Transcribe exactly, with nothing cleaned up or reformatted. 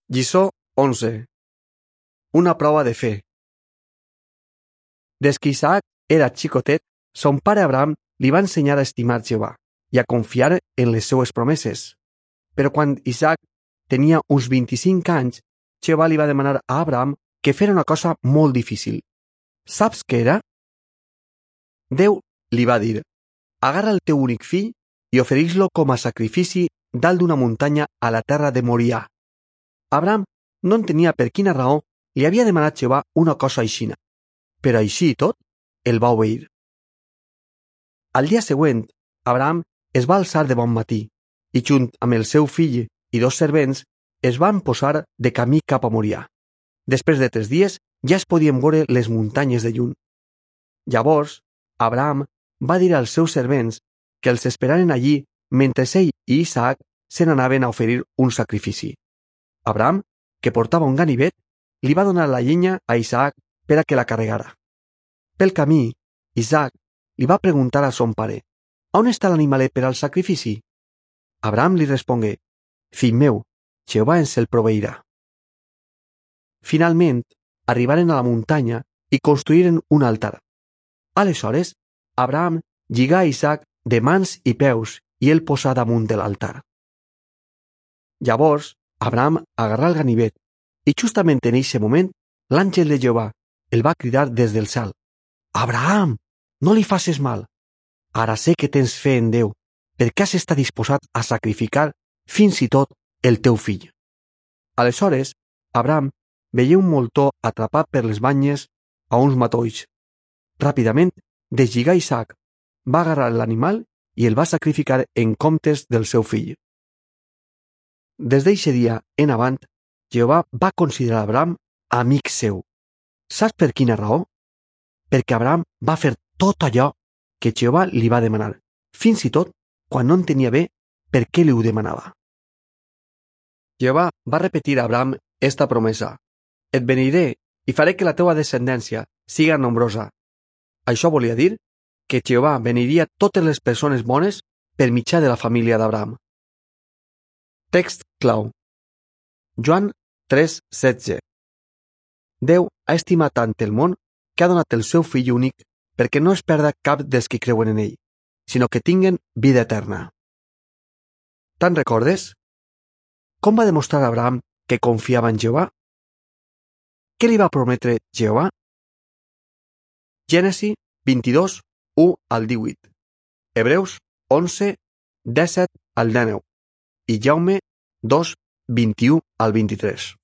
Lliçó onze. Una prova de fe. Des que Isaac era xicotet, son pare Abraham li va ensenyar a estimar Jehovà i a confiar en les seues promeses. Però quan Isaac tenia uns vint-i-cinc anys, Jehovà li va demanar a Abraham que fera una cosa molt difícil. Saps què era? Déu li va dir: agarra el teu únic fill i ofereix-lo com a sacrifici dalt d'una muntanya a la terra de Morià. Abraham no entenia per quina raó li havia demanat Jehovà una cosa aixina, però així i tot, el va obeir. Al dia següent, Abraham es va alçar de bon matí i, junt amb el seu fill i dos servents, es van posar de camí cap a Morià. Després de tres dies ja es podien veure les muntanyes de lluny. Llavors, Abraham va dir als seus servents que els esperaren allí mentre ell i Isaac se n'anaven a oferir un sacrifici. Abraham, que portava un ganivet, li va donar la llenya a Isaac per a que la carregara. Pel camí, Isaac li va preguntar a son pare: «On està l'animalet per al sacrifici?» Abraham li respongué: «Fill meu, Jehovà ens el proveirà». Finalment, arribaren a la muntanya i construïren un altar. Aleshores, Abraham lligà a Isaac de mans i peus i el posà damunt de l'altar. Llavors, Abraham agarrà el ganivet i justament en eixe moment l'àngel de Jehovà el va cridar des del cel: «Abraham, no li faces mal. Ara sé que tens fe en Déu, perquè has estat disposat a sacrificar fins i tot el teu fill». Aleshores, Abraham veia un moltó atrapat per les banyes a uns matolls. Ràpidament, deslligà Isaac, va agarrar l'animal i el va sacrificar en comptes del seu fill. Des d'eixe dia en avant, Jehovà va considerar Abraham amic seu. Saps per quina raó? Perquè Abraham va fer tot allò que Jehovà li va demanar, fins i tot quan no entenia bé per què li ho demanava. Jehovà va repetir a Abraham esta promesa: «Et beniré i faré que la teua descendència siga nombrosa». Això volia dir que Jehovà beniria totes les persones bones per mitjà de la família d'Abraham. Text clau. Joan tres setze. Déu ha estimat tant el món que ha donat el seu fill únic perquè no es perda cap dels que creuen en ell, sinó que tinguen vida eterna. Te'n recordes? Com va demostrar Abraham que confiava en Jehovà? Què li va prometre Jehovà? Gènesi vint-i-dos, u al divuit. Hebreus onze, disset al dinou. I Jaume dos, vint-i-u al vint-i-tres.